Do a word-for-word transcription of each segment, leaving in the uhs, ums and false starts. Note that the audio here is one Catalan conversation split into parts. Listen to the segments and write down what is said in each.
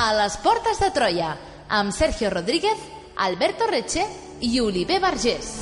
a les portes de Troia, amb Sergio Rodríguez, Alberto Reche i Oliver Vergés.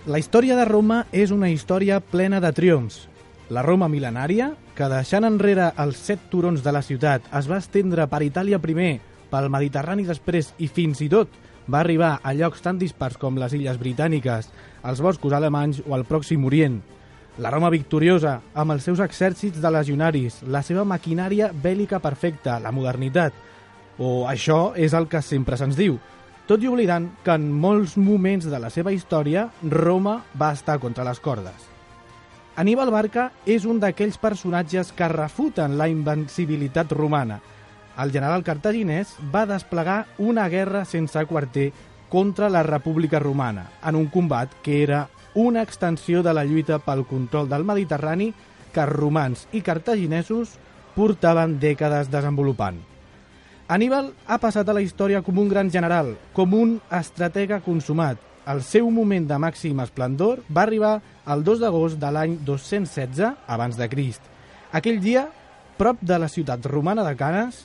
La història de Roma és una història plena de triomfs. La Roma mil·lenària, que deixant enrere els set turons de la ciutat es va estendre per Itàlia primer, pel Mediterrani després i fins i tot va arribar a llocs tan dispars com les Illes Britàniques, els boscos alemanys o el Pròxim Orient. La Roma victoriosa, amb els seus exèrcits de legionaris, la seva maquinària bèl·lica perfecta, la modernitat. O això és el que sempre se'ns diu. Tot i oblidant que en molts moments de la seva història Roma va estar contra les cordes. Aníbal Barca és un d'aquells personatges que refuten la invencibilitat romana. El general cartaginès va desplegar una guerra sense quarter contra la República Romana, en un combat que era una extensió de la lluita pel control del Mediterrani que romans i cartaginesos portaven dècades desenvolupant. Aníbal ha passat a la història com un gran general, com un estratega consumat. El seu moment de màxim esplendor va arribar el dos d'agost de l'any dos-cents setze abans de Crist. Aquell dia, prop de la ciutat romana de Canes,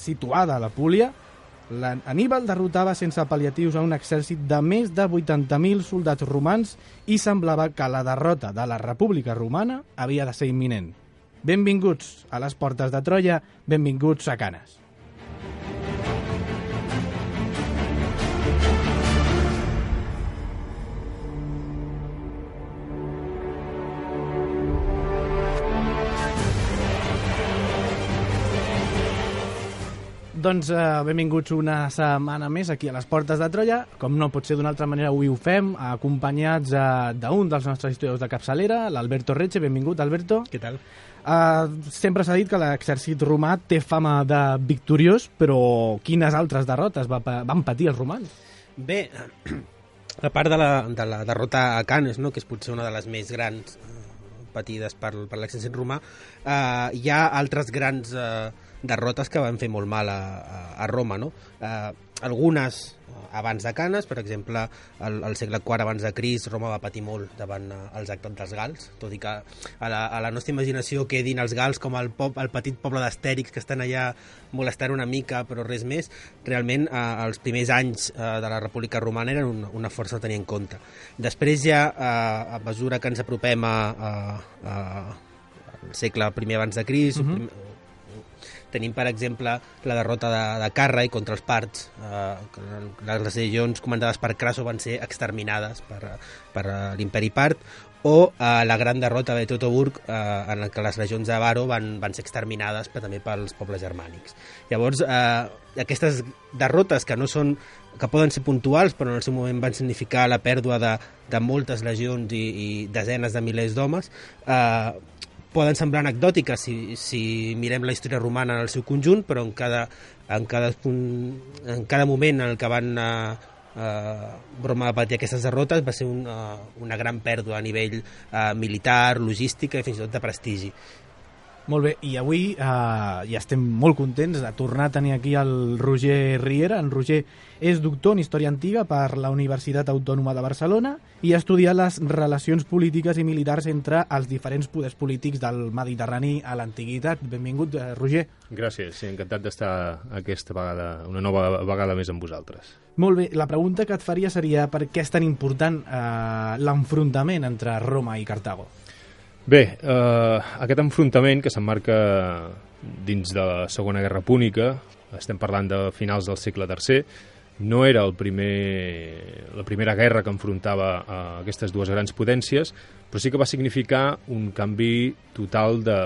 situada a la Púlia, Aníbal derrotava sense pal·liatius a un exèrcit de més de vuitanta mil soldats romans i semblava que la derrota de la República Romana havia de ser imminent. Benvinguts a les portes de Troia, benvinguts a Canes. Doncs eh, benvinguts una setmana més aquí a les portes de Troia. Com no pot ser d'una altra manera, avui ho fem, acompanyats eh, d'un dels nostres historiadors de capçalera, l'Alberto Reche. Benvingut, Alberto. Què tal? Eh, sempre s'ha dit que l'exèrcit romà té fama de victoriós, però quines altres derrotes va, van patir els romans? Bé, a part de la, de la derrota a Canes, no?, que és potser una de les més grans eh, patides per, per l'exèrcit romà, eh, hi ha altres grans eh, derrotes que van fer molt mal a, a, a Roma, no? Eh, algunes abans de Canes, per exemple, al, al segle quart abans de Crist, Roma va patir molt davant eh, els actes dels gals, tot i que a la, a la nostra imaginació quedin els gals com el, pop, el petit poble d'Astèrix que estan allà molestant una mica, però res més. Realment, eh, els primers anys eh, de la República Romana eren una, una força a tenir en compte. Després ja, eh, a mesura que ens apropem a, a, a, al segle primer abans de Crist, uh-huh. prim, tenim, per exemple, la derrota de, de Carrai contra els parts. Eh, les legions comandades per Crasso van ser exterminades per, per l'imperi part, o eh, la gran derrota de Teutoburg, eh, en què les legions de Varo van, van ser exterminades però també pels pobles germànics. Llavors, eh, aquestes derrotes que no són que poden ser puntuals, però en el seu moment van significar la pèrdua de, de moltes legions i, i desenes de milers d'homes, eh, poden semblar anecdòtiques si, si mirem la història romana en el seu conjunt, però en cada, en cada, en cada moment en el que van uh, uh, Roma va patir aquestes derrotes va ser un, uh, una gran pèrdua a nivell uh, militar, logística i fins i tot de prestigi. Molt bé, i avui eh, ja estem molt contents de tornar a tenir aquí el Roger Riera. En Roger és doctor en Història Antiga per la Universitat Autònoma de Barcelona i ha estudiat les relacions polítiques i militars entre els diferents poders polítics del Mediterrani a l'antiguitat. Benvingut, eh, Roger. Gràcies, sí, encantat d'estar aquesta vegada, una nova vegada més amb vosaltres. Molt bé, la pregunta que et faria seria per què és tan important eh, l'enfrontament entre Roma i Cartago? Bé, eh, aquest enfrontament que s'emmarca dins de la Segona Guerra Púnica, estem parlant de finals del segle tercer, no era el primer, la primera guerra que enfrontava a aquestes dues grans potències, però sí que va significar un canvi total de,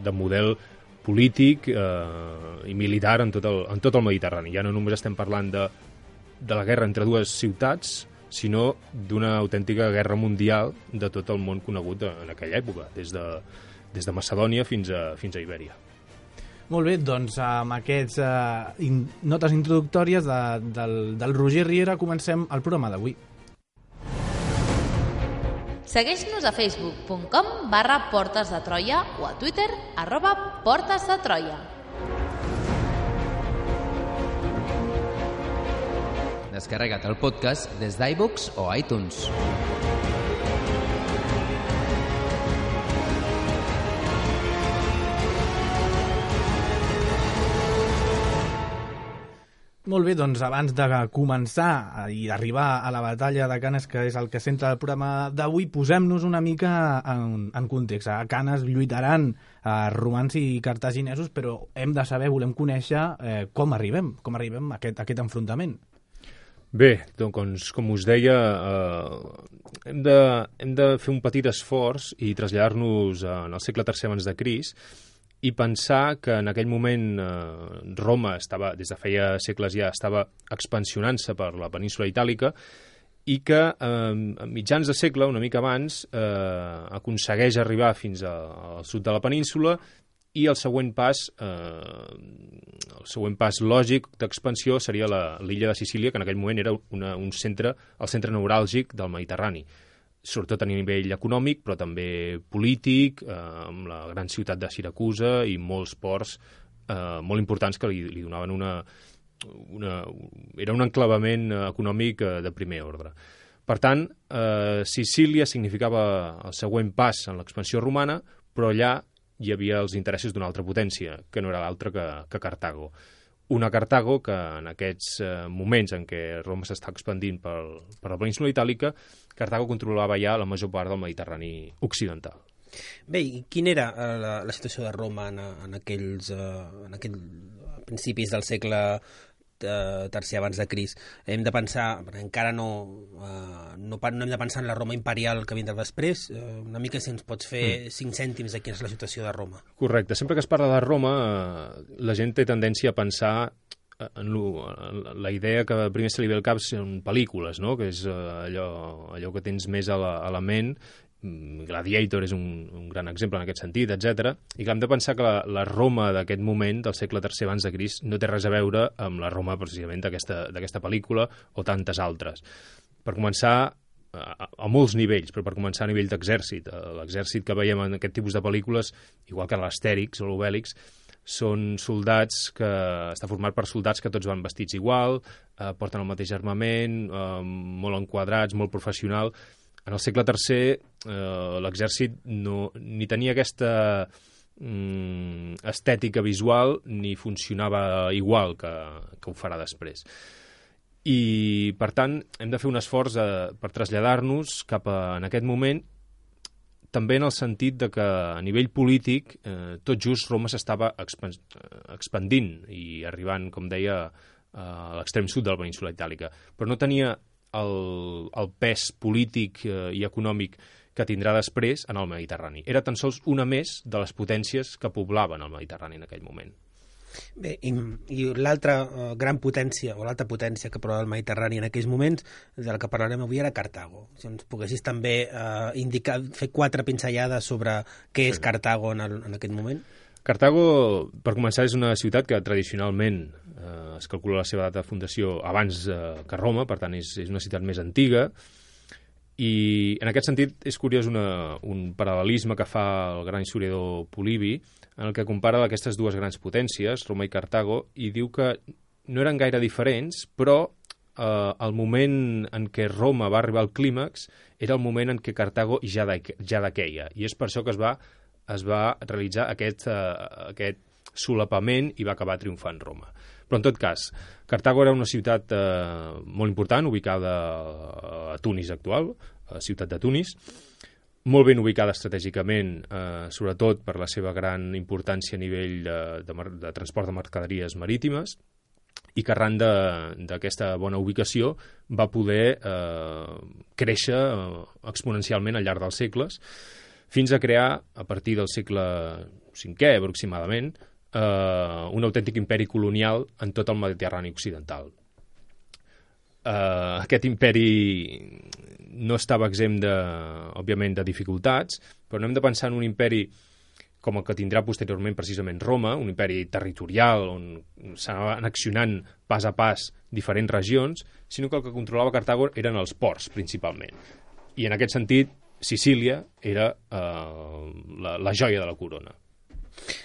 de model polític eh, i militar en tot, el, en tot el Mediterrani. Ja no només estem parlant de, de la guerra entre dues ciutats, sinó d'una autèntica guerra mundial de tot el món conegut en aquella època, des de, des de Macedònia fins a, fins a Ibèria. Molt bé, doncs amb aquestes uh, in, notes introductòries de, del, del Roger Riera comencem el programa d'avui. Segueix-nos a facebook punt com barra Portes de Troia o a Twitter arroba Portes de Troia. Descarrega't el podcast des d'iVoox o iTunes. Molt bé, doncs abans de començar i d'arribar a la batalla de Canes, que és el que centra el programa d'avui, posem-nos una mica en, en context. A Canes lluitaran eh, romans i cartaginesos, però hem de saber, volem conèixer eh, com arribem, com arribem a aquest, a aquest enfrontament. Bé, doncs, com us deia, eh, hem, de, hem de fer un petit esforç i traslladar-nos en el segle tercer abans de Crist i pensar que en aquell moment eh, Roma estava, des de feia segles ja, estava expansionant-se per la península itàlica i que eh, a mitjans de segle, una mica abans, eh, aconsegueix arribar fins a, al sud de la península i el següent pas, eh, el següent pas lògic d'expansió seria l'illa de Sicília, que en aquell moment era una, un centre, el centre neuràlgic del Mediterrani, sobretot a nivell econòmic, però també polític, eh, amb la gran ciutat de Siracusa i molts ports eh, molt importants que li, li donaven una, una... Era un enclavament econòmic eh, de primer ordre. Per tant, eh, Sicília significava el següent pas en l'expansió romana, però allà hi havia els interessos d'una altra potència, que no era l'altra que, que Cartago. Una Cartago que en aquests eh, moments en què Roma s'està expandint per, per la península itàlica, Cartago controlava ja la major part del Mediterrani occidental. Bé, i quina era eh, la, la situació de Roma en, en aquells eh, en aquell, principis del segle eh, tercer abans de Crist? Hem de pensar, encara no, eh, no, no hem de pensar en la Roma imperial que vindrà després, eh, una mica si ens pots fer mm. cinc cèntims de quina és la situació de Roma. Correcte. Sempre que es parla de Roma, eh, la gent té tendència a pensar en, lo, en la idea que primer se li ve al cap són pel·lícules, no? Que és eh, allò, allò que tens més a la, a la ment. Gladiator és un, un gran exemple en aquest sentit, etcètera. I que hem de pensar que la, la Roma d'aquest moment, del segle tercer abans de Crist, no té res a veure amb la Roma precisament d'aquesta pel·lícula o tantes altres. Per començar, a, a molts nivells, però per començar a nivell d'exèrcit. L'exèrcit que veiem en aquest tipus de pel·lícules, igual que l'Astèrix o l'Obèlix, són soldats que està format per soldats que tots van vestits igual, eh, porten el mateix armament, eh, molt enquadrats, molt professional. En el segle tercer eh, l'exèrcit no, ni tenia aquesta mm, estètica visual ni funcionava igual que, que ho farà després. I, per tant, hem de fer un esforç eh, per traslladar-nos cap a, en aquest moment, també en el sentit de que a nivell polític eh, tot just Roma s'estava expan expandint i arribant, com deia, a l'extrem sud de la península itàlica, però no tenia el, el pes polític eh, i econòmic que tindrà després en el Mediterrani. Era tan sols una més de les potències que poblaven el Mediterrani en aquell moment. Bé, i, i l'altra uh, gran potència, o l'altra potència que prova el Mediterrani en aquells moments, de la que parlarem avui, era Cartago. Si ens poguessis també uh, indicar, fer quatre pinzellades sobre què és Cartago en, el, en aquest moment. Cartago, per començar, és una ciutat que tradicionalment eh, es calcula la seva data de fundació abans eh, que Roma, per tant és, és una ciutat més antiga, i en aquest sentit és curiós una, un paral·lelisme que fa el gran historiador Polibi, en el que compara aquestes dues grans potències, Roma i Cartago, i diu que no eren gaire diferents, però eh, el moment en què Roma va arribar al clímax era el moment en què Cartago ja, de, ja dequeia, i és per això que es va, es va realitzar aquest, eh, aquest solapament i va acabar triomfant Roma. Però en tot cas, Cartago era una ciutat eh, molt important, ubicada a Tunis actual, a la ciutat de Tunis, molt ben ubicada estratègicament, eh, sobretot per la seva gran importància a nivell de, de, de transport de mercaderies marítimes, i que arran d'aquesta bona ubicació va poder eh, créixer eh, exponencialment al llarg dels segles, fins a crear, a partir del segle cinquè aproximadament, eh, un autèntic imperi colonial en tot el Mediterrani occidental. Uh, aquest imperi no estava exempt, de, òbviament, de dificultats, però no hem de pensar en un imperi com el que tindrà posteriorment precisament Roma, un imperi territorial on s'anaven annexionant pas a pas diferents regions, sinó que el que controlava Cartago eren els ports, principalment. I en aquest sentit, Sicília era eh, la, la joia de la corona.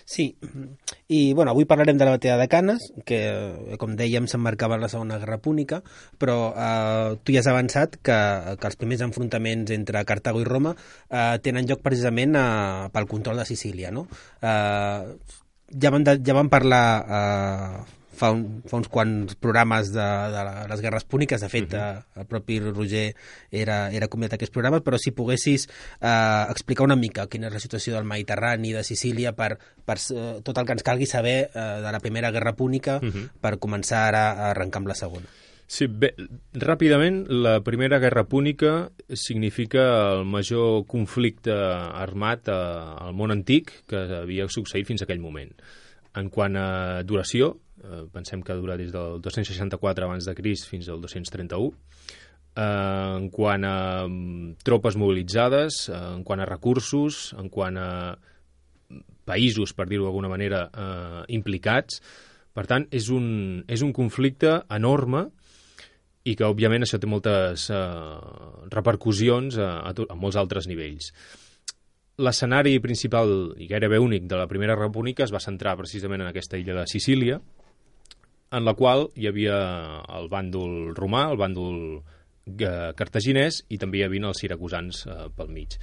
Sí, i bueno, avui parlarem de la batalla de Canes, que, com dèiem, s'emmarcava en la Segona Guerra Púnica, però eh, tu ja has avançat que, que els primers enfrontaments entre Cartago i Roma eh, tenen lloc precisament eh, pel control de Sicília, no? Eh, ja, vam de, ja vam parlar eh, fa, un, fa uns quants programes de, de les guerres púniques, de fet, uh-huh. eh, el propi Roger era, era convidat a aquests programes, però si poguessis eh, explicar una mica quina és la situació del Mediterrani, de Sicília, per, per eh, tot el que ens calgui saber eh, de la Primera Guerra Púnica, uh-huh. per començar ara a arrencar amb la segona. Sí, bé, ràpidament, la Primera Guerra Púnica significa el major conflicte armat eh, al món antic que havia succeït fins a aquell moment. En quant a duració, eh, pensem que dura des del dos-cents seixanta-quatre abans de Crist fins al dos-cents trenta-u. Eh, en quant a um, tropes mobilitzades, eh, en quant a recursos, en quant a països, per dir-ho d'alguna manera, eh, implicats. Per tant, és un, és un conflicte enorme i que, òbviament, això té moltes eh, repercussions a, a, a molts altres nivells. L'escenari principal i gairebé únic de la Primera República es va centrar precisament en aquesta illa de Sicília, en la qual hi havia el bàndol romà, el bàndol eh, cartaginès, i també hi havia els siracusans eh, pel mig.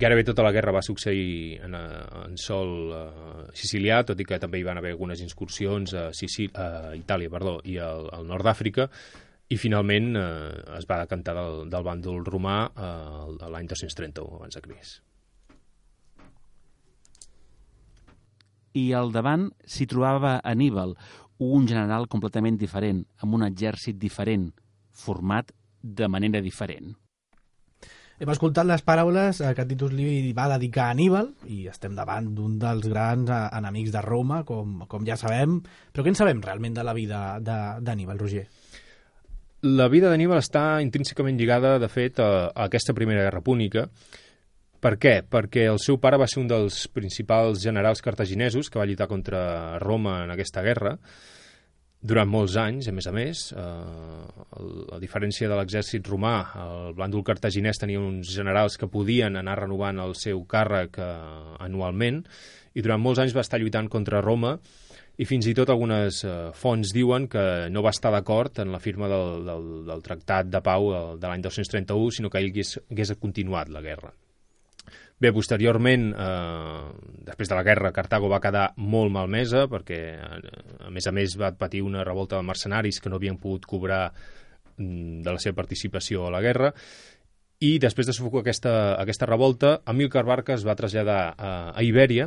Gairebé tota la guerra va succeir en, en sol eh, sicilià, tot i que també hi van haver algunes incursions a, Sicil a Itàlia perdó, i al, al nord d'Àfrica, i finalment eh, es va decantar del, del bàndol romà eh, l'any dos-cents trenta-u abans de Crist. I al davant s'hi trobava Anníbal, un general completament diferent, amb un exèrcit diferent, format de manera diferent. Hem escoltat les paraules que Titus Livi va dedicar a Anníbal i estem davant d'un dels grans enemics de Roma, com, com ja sabem. Però què en sabem realment de la vida d'Anníbal, Roger? La vida d'Anníbal està intrínsecament lligada, de fet, a, a aquesta Primera Guerra Púnica. Per què? Perquè el seu pare va ser un dels principals generals cartaginesos que va lluitar contra Roma en aquesta guerra durant molts anys, a més a més. Eh, a diferència de l'exèrcit romà, el bàndol cartaginès tenia uns generals que podien anar renovant el seu càrrec eh, anualment, i durant molts anys va estar lluitant contra Roma, i fins i tot algunes eh, fonts diuen que no va estar d'acord en la firma del, del, del Tractat de Pau de l'any dos-cents trenta-u, sinó que ell hagués, hagués continuat la guerra. Bé, posteriorment, eh, després de la guerra, Cartago va quedar molt malmesa perquè, a més a més, va patir una revolta de mercenaris que no havien pogut cobrar mm, de la seva participació a la guerra, i després de sufocar aquesta, aquesta revolta, Amílcar Barca es va traslladar a, a Ibèria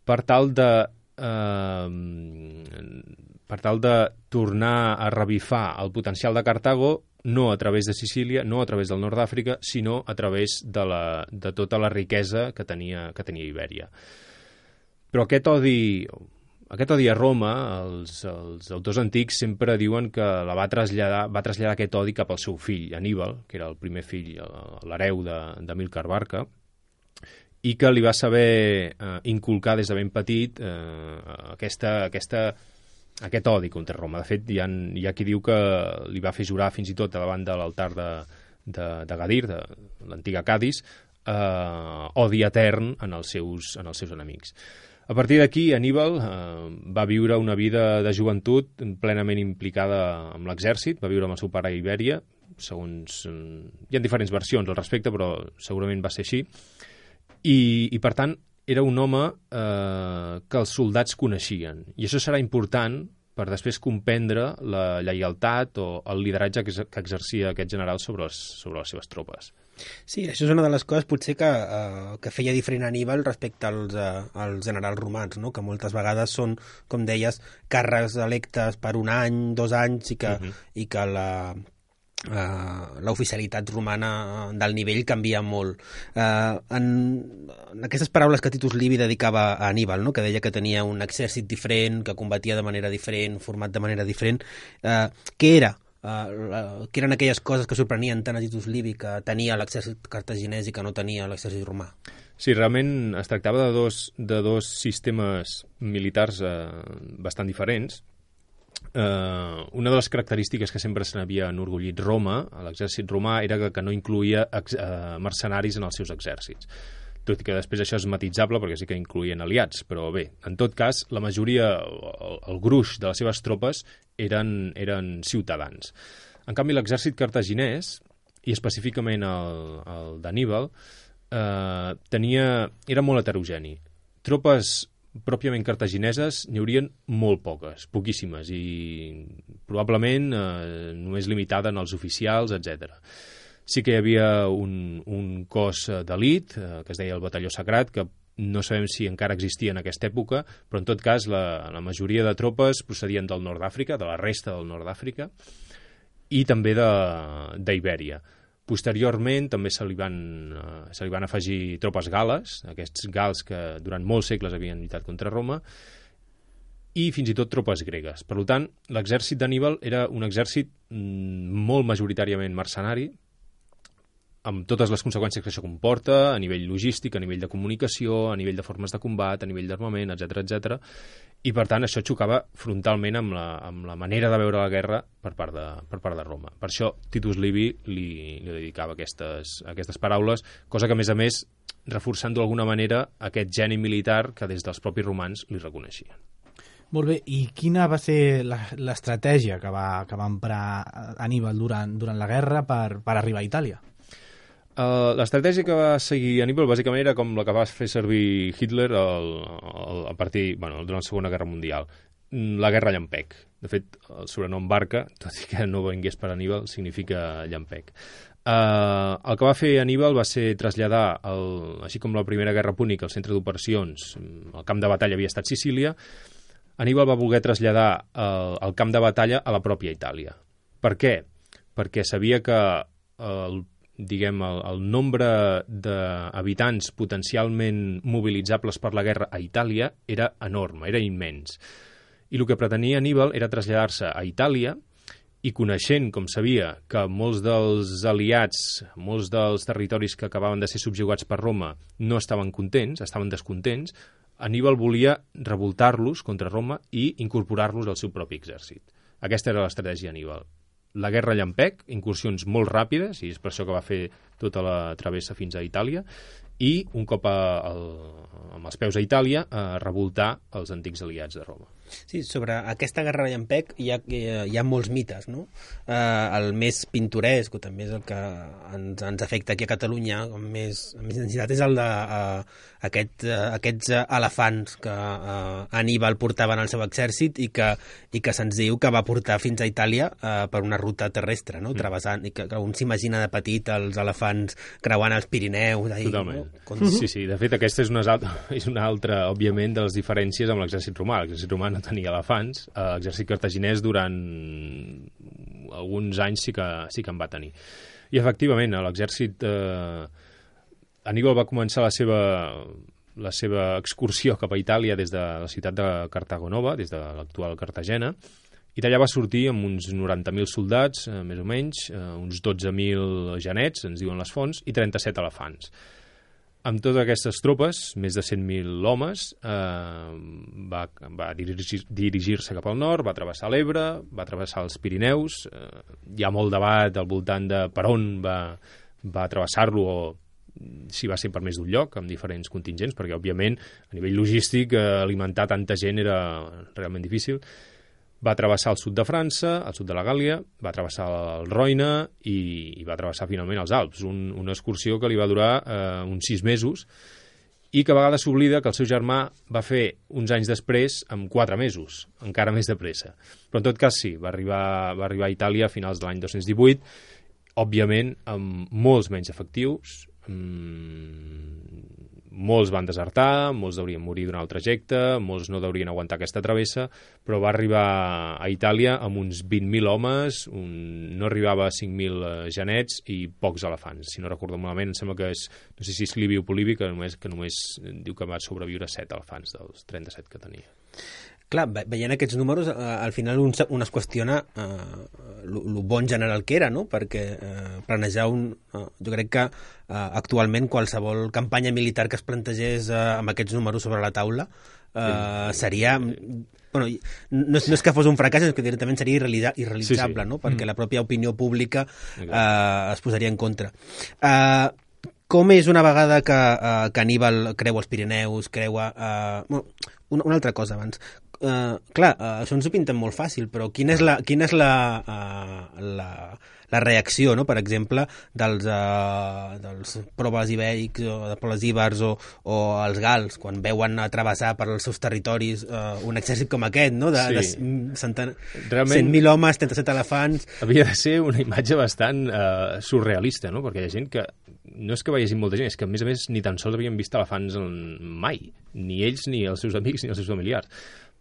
per tal de eh, per tal de tornar a revifar el potencial de Cartago, no a través de Sicília, no a través del nord d'Àfrica, sinó a través de, la, de tota la riquesa que tenia, que tenia Ibèria. Però aquest odi, aquest odi a Roma, els, els autors antics sempre diuen que la va traslladar, va traslladar aquest odi cap al seu fill, Anníbal, que era el primer fill, l'hereu d'Amílcar Barca, i que li va saber eh, inculcar des de ben petit eh, aquesta... aquesta aquest odi contra Roma. De fet, hi ha, hi ha qui diu que li va fer jurar fins i tot davant de l'altar de, de, de Gadir, de l'antiga Cadis, eh, odi etern en els seus, en els seus enemics. A partir d'aquí, Anníbal eh, va viure una vida de joventut plenament implicada amb l'exèrcit, va viure amb el seu pare a Ibèria, segons... Hi ha diferents versions al respecte, però segurament va ser així, i, i per tant, era un home eh, que els soldats coneixien. I això serà important per després comprendre la lleialtat o el lideratge que, que exercia aquest general sobre les, sobre les seves tropes. Sí, això és una de les coses potser que, eh, que feia diferent Anníbal respecte als, eh, als generals romans, no? Que moltes vegades són, com deies, càrrecs electes per un any, dos anys, i que, uh-huh. i que la... Uh, l'oficialitat romana del nivell canvia molt. Uh, en, en aquestes paraules que Titus Livi dedicava a Anníbal, no? Que deia que tenia un exèrcit diferent, que combatia de manera diferent, format de manera diferent, uh, què era? Uh, què eren aquelles coses que sorprenien tant a Titus Livi que tenia l'exèrcit cartaginès i que no tenia l'exèrcit romà? Sí, realment es tractava de dos, de dos sistemes militars eh, bastant diferents. Eh, una de les característiques que sempre se n'havia enorgullit Roma, a l'exèrcit romà, era que, que no incluïa ex, eh, mercenaris en els seus exèrcits. Tot i que després això és matitzable perquè sí que incluïen aliats, però bé, en tot cas, la majoria, el, el gruix de les seves tropes eren, eren ciutadans. En canvi, l'exèrcit cartaginès, i específicament el, el d'Anníbal, eh, tenia, era molt heterogeni. Tropes pròpiament cartagineses n'hi haurien molt poques, poquíssimes, i probablement eh, només limitada en els oficials, etcètera. Sí que hi havia un, un cos d'elit, eh, que es deia el Batalló Sagrat, que no sabem si encara existia en aquesta època, però en tot cas la, la majoria de tropes procedien del nord d'Àfrica, de la resta del nord d'Àfrica, i també d'Ibèria. Posteriorment també se li, van, uh, se li van afegir tropes gales, aquests gals que durant molts segles havien lluitat contra Roma, i fins i tot tropes gregues. Per tant, l'exèrcit d'Anníbal era un exèrcit mm, molt majoritàriament mercenari, amb totes les conseqüències que això comporta, a nivell logístic, a nivell de comunicació, a nivell de formes de combat, a nivell d'armament, etcètera, etcètera. I, per tant, això xocava frontalment amb la, amb la manera de veure la guerra per part de, per part de Roma. Per això Titus Livi li, li dedicava aquestes, aquestes paraules, cosa que, a més a més, reforçant d'alguna manera aquest geni militar que des dels propis romans li reconeixien. Molt bé, i quina va ser l'estratègia que va, que va emprar Aníbal durant, durant la guerra per, per arribar a Itàlia? Uh, l'estratègia que va seguir Aníbal bàsicament era com la que va fer servir Hitler el, el, a partir, bueno, durant la Segona Guerra Mundial, la guerra llampec. De fet, el sobrenom Barca, tot i que no vingués per Aníbal, significa llampec. Uh, el que va fer Aníbal va ser traslladar, el, així com la Primera Guerra Púnica, el centre d'operacions, el camp de batalla havia estat Sicília, Aníbal va voler traslladar el, el camp de batalla a la pròpia Itàlia. Per què? Perquè sabia que el diguem, el, el nombre d'habitants potencialment mobilitzables per la guerra a Itàlia era enorme, era immens. I el que pretenia Aníbal era traslladar-se a Itàlia i coneixent, com sabia, que molts dels aliats, molts dels territoris que acabaven de ser subjugats per Roma no estaven contents, estaven descontents, Aníbal volia revoltar-los contra Roma i incorporar-los al seu propi exèrcit. Aquesta era l'estratègia d'Aníbal. La guerra llampec, incursions molt ràpides, i és per això que va fer tota la travessa fins a Itàlia, i un cop a, a, amb els peus a Itàlia, a revoltar els antics aliats de Roma. Sí, sobre aquesta guerra llampec hi ha, hi ha molts mites, no? Eh, el més pintoresc, o també és el que ens, ens afecta aquí a Catalunya, amb més, amb més intensitat, és el de uh, aquest, uh, aquests elefants que uh, Aníbal portava en el seu exèrcit i que, i que se'ns diu que va portar fins a Itàlia uh, per una ruta terrestre, no? Mm. Travessant, i que, que un s'imagina de petit els elefants creuant els Pirineus. Ahí, totalment. No? Com... Sí, sí. De fet, aquesta és una, és una altra, òbviament, de les diferències amb l'exèrcit romà. L'exèrcit romà no tenia elefants, l'exèrcit cartaginès durant alguns anys sí que, sí que en va tenir. I efectivament, l'exèrcit eh, Aníbal va començar la seva, la seva excursió cap a Itàlia des de la ciutat de Cartago Nova, des de l'actual Cartagena, i d'allà va sortir amb uns noranta mil soldats, eh, més o menys, eh, uns dotze mil genets, ens diuen les fonts, i trenta-set elefants. Amb totes aquestes tropes, més de cent mil homes, eh, va, va dirigir, dirigir-se cap al nord, va travessar l'Ebre, va travessar els Pirineus. Eh, hi ha molt debat al voltant de per on va, va travessar-lo o si va ser per més d'un lloc, amb diferents contingents, perquè, òbviament, a nivell logístic, eh, alimentar tanta gent era realment difícil. Va travessar el sud de França, el sud de la Gàl·lia, va travessar el Roine i, i va travessar finalment els Alps, un, una excursió que li va durar eh, uns sis mesos i que a vegades s'oblida que el seu germà va fer uns anys després amb quatre mesos, encara més de pressa. Però en tot cas sí, va arribar, va arribar a Itàlia a finals de l'any dos-cents divuit, òbviament amb molts menys efectius, mmm, molts van desertar, molts deurien morir durant el trajecte, molts no deurien aguantar aquesta travessa, però va arribar a Itàlia amb uns vint mil homes, un... no arribava a cinc mil genets i pocs elefants. Si no recordo malament, em sembla que és, no sé si és Livi o Polibi, que només, que només diu que va sobreviure set elefants dels trenta-set que tenia. Clar, veient aquests números, eh, al final un, un es qüestiona eh, lo bon general que era, no? Perquè eh, planejar un... Eh, jo crec que uh, actualment qualsevol campanya militar que es plantegés uh, amb aquests números sobre la taula uh, seria... Bueno, no, és, no és que fos un fracàs, és que directament seria irrealitza, irrealitzable, sí, sí. No? Perquè mm. la pròpia opinió pública uh, es posaria en contra. Uh, com és una vegada que, uh, que Aníbal creua els Pirineus, creua... Uh, bueno, una, una altra cosa abans. Uh, clar, uh, això ens ho pinten molt fàcil, però quina és la, quina és la, uh, la, la reacció, no? Per exemple, dels, uh, dels pobles ibèrics o de pobles íbers o, o els gals, quan veuen travessar per els seus territoris uh, un exèrcit com aquest, no? De, sí. de cent mil homes, trenta-set elefants... Havia de ser una imatge bastant uh, surrealista, no? Perquè hi ha gent que no és que veiessin molta gent, és que a més a més ni tan sols havien vist elefants mai, ni ells, ni els seus amics, ni els seus familiars.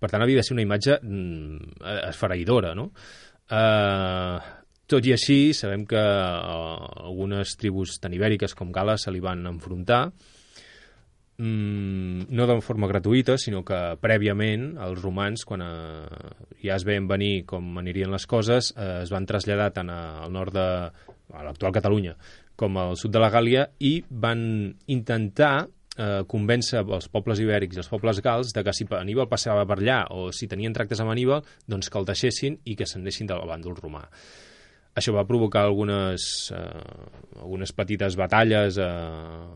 Per tant, havia de ser una imatge mm, esfereïdora, no? Uh, tot i així, sabem que uh, algunes tribus tan ibèriques com Gales se li van enfrontar, mm, no de forma gratuïta, sinó que prèviament els romans, quan uh, ja es veien venir com anirien les coses, uh, es van traslladar tant al nord de a l'actual Catalunya com al sud de la Gàlia i van intentar eh, convèncer els pobles ibèrics i els pobles gals de que si Aníbal passava per allà o si tenien tractes amb Aníbal, doncs que el deixessin i que s'anessin del bàndol romà. Això va provocar algunes, eh, algunes petites batalles eh,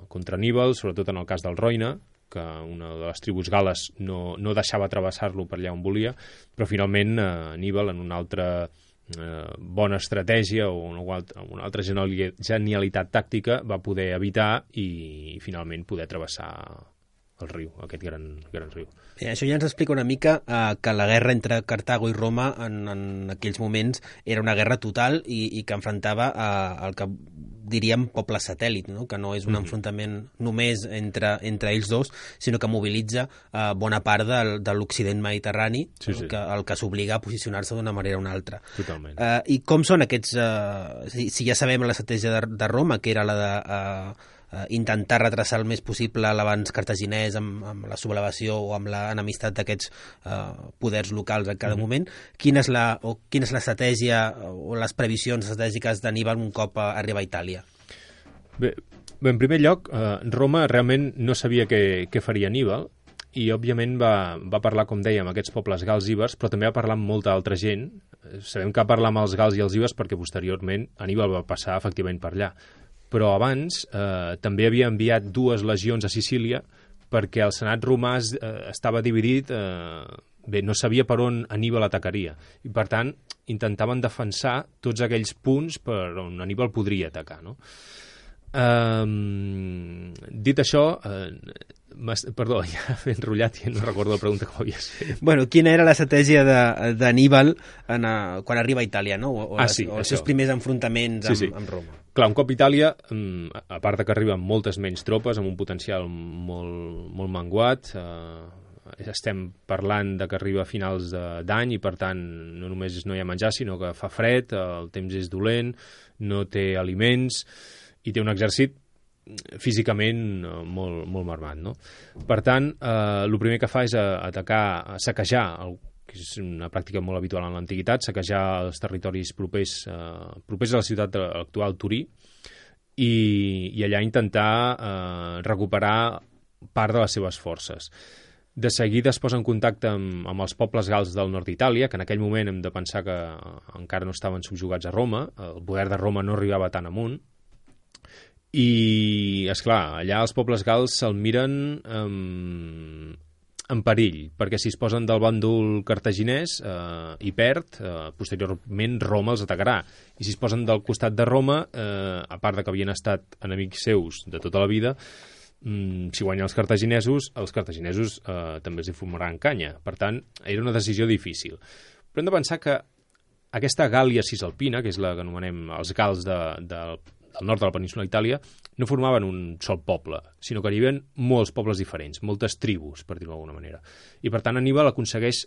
contra Aníbal, sobretot en el cas del Roine, que una de les tribus gales no, no deixava travessar-lo per allà on volia, però finalment eh, Aníbal, en una altra eh, bona estratègia o una, una altra genialitat tàctica, va poder evitar i, i finalment poder travessar el riu, aquest gran, gran riu. Bé, això ja ens explica una mica eh, que la guerra entre Cartago i Roma en, en aquells moments era una guerra total i, i que enfrontava eh, el que diríem poble satèl·lit, no? Que no és un mm-hmm. enfrontament només entre, entre ells dos, sinó que mobilitza eh, bona part del, de l'Occident mediterrani, sí, sí. El que, el que s'obliga a posicionar-se d'una manera o una altra. Totalment. Eh, I com són aquests... Eh, si, si ja sabem l'estratègia de, de Roma, que era la de... Eh, Uh, intentar retrasar el més possible l'abans cartaginès amb, amb la sublevació o amb l'enemistat d'aquests uh, poders locals en cada mm-hmm. moment, quina és la, o quina és l'estratègia o les previsions estratègiques d'Aníbal un cop uh, arriba a Itàlia? Bé, bé en primer lloc, uh, Roma realment no sabia què, què faria Aníbal i, òbviament, va, va parlar, com dèiem, amb aquests pobles gals ibers, però també va parlar amb molta altra gent. Sabem que va parlar amb els gals i els ibers perquè, posteriorment, Aníbal va passar, efectivament, per allà. Però abans eh, també havia enviat dues legions a Sicília perquè el senat romà eh, estava dividit, eh, bé, no sabia per on Aníbal atacaria. I, per tant, intentaven defensar tots aquells punts per on Aníbal podria atacar, no? Eh, dit això, eh, perdó, ja m'he enrotllat i no recordo la pregunta que m'havies fet. Bueno, quina era l'estratègia d'Aníbal quan arriba a Itàlia, no? O, o, ah, les, sí, o els seus primers enfrontaments sí, amb, sí. amb Roma. Clar, un cop Itàlia, a part de que arriben moltes menys tropes, amb un potencial molt, molt menguat, eh, estem parlant de que arriba a finals d'any i, per tant, no només no hi ha menjar, sinó que fa fred, el temps és dolent, no té aliments i té un exèrcit físicament molt, molt marmat, no? Per tant, eh, el primer que fa és atacar, saquejar, el, que és una pràctica molt habitual en l'antiguitat, saquejar els territoris propers, eh, propers a la ciutat de l'actual Turí i, i allà intentar eh, recuperar part de les seves forces. De seguida es posa en contacte amb, amb els pobles gals del nord d'Itàlia, que en aquell moment hem de pensar que encara no estaven subjugats a Roma, el poder de Roma no arribava tan amunt, i, esclar, allà els pobles gals se'l miren um, en perill, perquè si es posen del bàndol cartaginès eh, i perd, eh, posteriorment Roma els atacarà. I si es posen del costat de Roma, eh, a part de que havien estat enemics seus de tota la vida, mm, si guanyen els cartaginesos, els cartaginesos eh, també els hi fumaran canya. Per tant, era una decisió difícil. Però hem de pensar que aquesta Gàlia cisalpina, que és la que anomenem els gals de, de al nord de la península d'Itàlia, no formaven un sol poble, sinó que hi havia molts pobles diferents, moltes tribus, per dir-ho d'alguna manera. I, per tant, Aníbal aconsegueix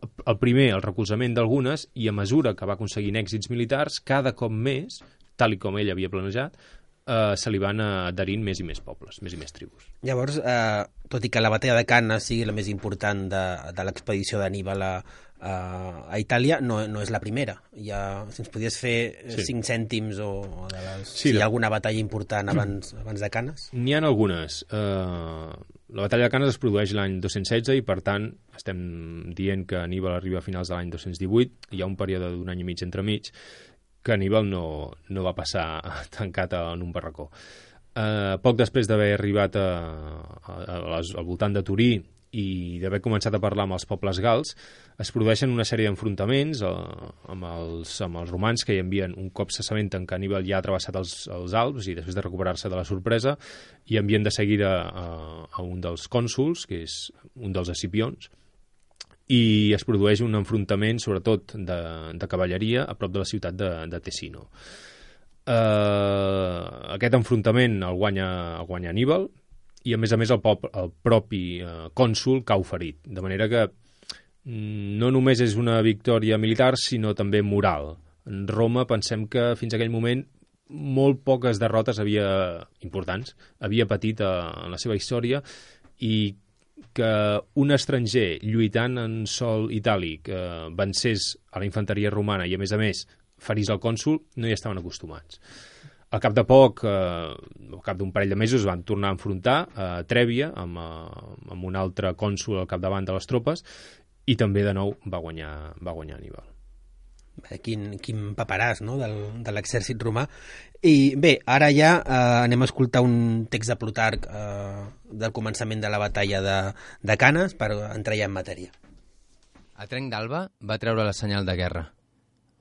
el primer, el recolzament d'algunes, i a mesura que va aconseguint èxits militars, cada cop més, tal i com ell havia planejat, eh, se li van adherint més i més pobles, més i més tribus. Llavors, eh, tot i que la batalla de Canes sigui la més important de, de l'expedició d'Anníbal a, a, a Itàlia, no, no és la primera. Ja, si ens podies fer sí. cinc cèntims o, o de les, sí, si hi ha alguna batalla important abans, abans de Canes? N'hi ha algunes. Eh, la batalla de Canes es produeix l'any dos-cents setze i, per tant, estem dient que Anníbal arriba a finals de l'any dos-cents divuit. Hi ha un període d'un any i mig entremig que Anníbal no, no va passar tancat en un barracó. Eh, poc després d'haver arribat a, a, a les, al voltant de Turí i d'haver començat a parlar amb els pobles gals, es produeixen una sèrie d'enfrontaments eh, amb, els, amb els romans que hi envien, un cop s'assabenten que Anníbal ja ha travessat els, els Alps i després de recuperar-se de la sorpresa, i envien de seguida a, a un dels cònsuls, que és un dels escipions, i es produeix un enfrontament, sobretot de, de cavalleria, a prop de la ciutat de, de Tessino. Uh, aquest enfrontament el guanya, el guanya Anníbal, i a més a més el, pop, el propi uh, cònsul cau ferit, de manera que mm, no només és una victòria militar, sinó també moral. En Roma pensem que fins a aquell moment molt poques derrotes havia, importants havia patit uh, en la seva història, i que un estranger lluitant en sòl itàlic eh, vencés a la infanteria romana i, a més a més, ferís el cònsul, no hi estaven acostumats. Al cap de poc, eh, al cap d'un parell de mesos, van tornar a enfrontar a Trèvia amb, eh, amb un altre cònsul al capdavant de les tropes, i també, de nou, va guanyar, va guanyar Anníbal. Quin, quin paperàs, no?, del, de l'exèrcit romà. I bé, ara ja eh, anem a escoltar un text de Plutarc eh, del començament de la batalla de, de Canes per entrar ja en matèria. A trenc d'alba va treure la senyal de guerra.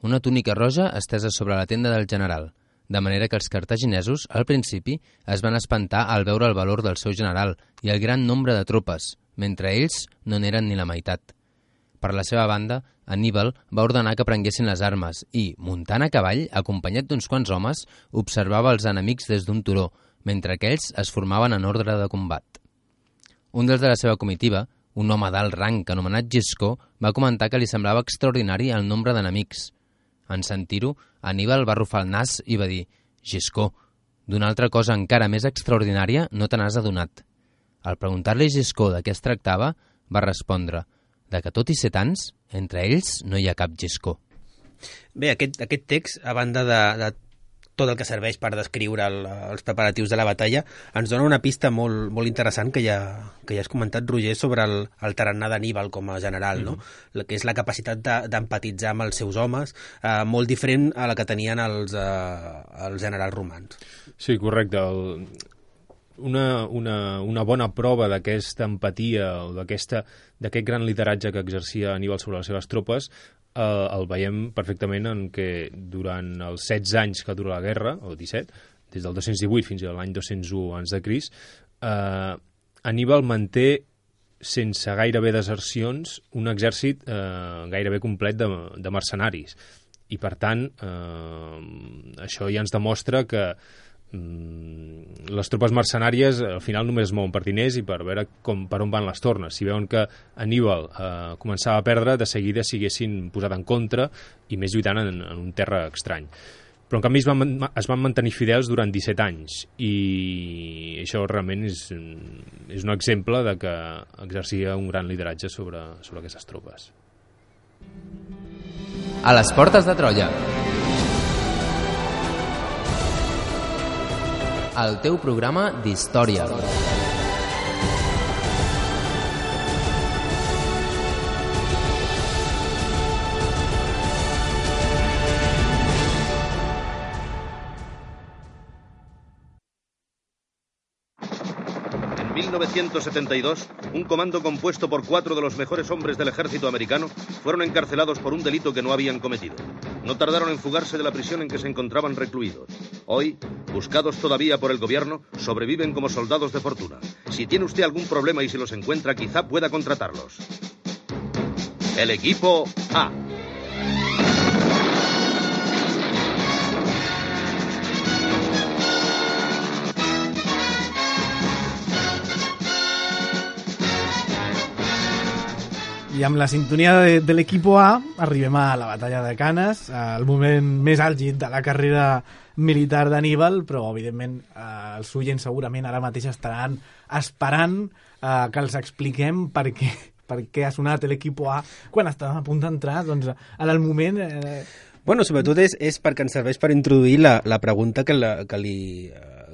Una túnica roja estesa sobre la tenda del general, de manera que els cartaginesos, al principi, es van espantar al veure el valor del seu general i el gran nombre de tropes, mentre ells no n'eren ni la meitat. Per la seva banda, Anníbal va ordenar que prenguessin les armes i, muntant a cavall, acompanyat d'uns quants homes, observava els enemics des d'un turó, mentre aquells es formaven en ordre de combat. Un dels de la seva comitiva, un home d'alt rang anomenat Giscó, va comentar que li semblava extraordinari el nombre d'enemics. En sentir-ho, Anníbal va arrufar el nas i va dir: «Giscó, d'una altra cosa encara més extraordinària no te n'has adonat». Al preguntar-li a Giscó de què es tractava, va respondre: «De que tot i ser tants, entre ells no hi ha cap Giscó». Bé, aquest, aquest text, a banda de, de tot el que serveix per descriure el, els preparatius de la batalla, ens dona una pista molt, molt interessant que ja, que ja has comentat, Roger, sobre el, el tarannà d'Anníbal com a general, no? Mm-hmm. Que és la capacitat d'empatitzar amb els seus homes, eh, molt diferent a la que tenien els, eh, els generals romans. Sí, correcte. El... Una, una, una bona prova d'aquesta empatia o d'aquest gran lideratge que exercia Anníbal sobre les seves tropes eh, el veiem perfectament en què durant els setze anys que dura la guerra, o disset, des del dos-cents divuit fins a l'any dos-cents u abans de Crist, eh, Anníbal manté sense gairebé desercions un exèrcit eh, gairebé complet de, de mercenaris, i per tant eh, això ja ens demostra que les tropes mercenàries al final només es mouen per diners i per veure com, per on van les tornes. Si veuen que Anníbal eh, començava a perdre, de seguida s'haguessin posat en contra i més lluitant en, en un terra estrany. Però en canvi es van, es van mantenir fidels durant disset anys, i això realment és, és un exemple de que exercia un gran lideratge sobre, sobre aquestes tropes. A les portes de Troia. El teu programa d'història. En mil novecientos setenta y dos, un comando compuesto por cuatro de los mejores hombres del ejército americano fueron encarcelados por un delito que no habían cometido. No tardaron en fugarse de la prisión en que se encontraban recluidos. Hoy, buscados todavía por el gobierno, sobreviven como soldados de fortuna. Si tiene usted algún problema y si los encuentra, quizá pueda contratarlos. El equipo A. I amb la sintonia de, de l'Equipo A arribem a la batalla de Canes, el moment més àlgid de la carrera militar d'Anníbal, però evidentment eh, els oients segurament ara mateix estaran esperant eh, que els expliquem per què, per què ha sonat l'Equipo A quan estàvem a punt d'entrar, doncs en el moment... Eh... Bueno, sobretot és, és perquè ens serveix per introduir la, la pregunta que, la, que li...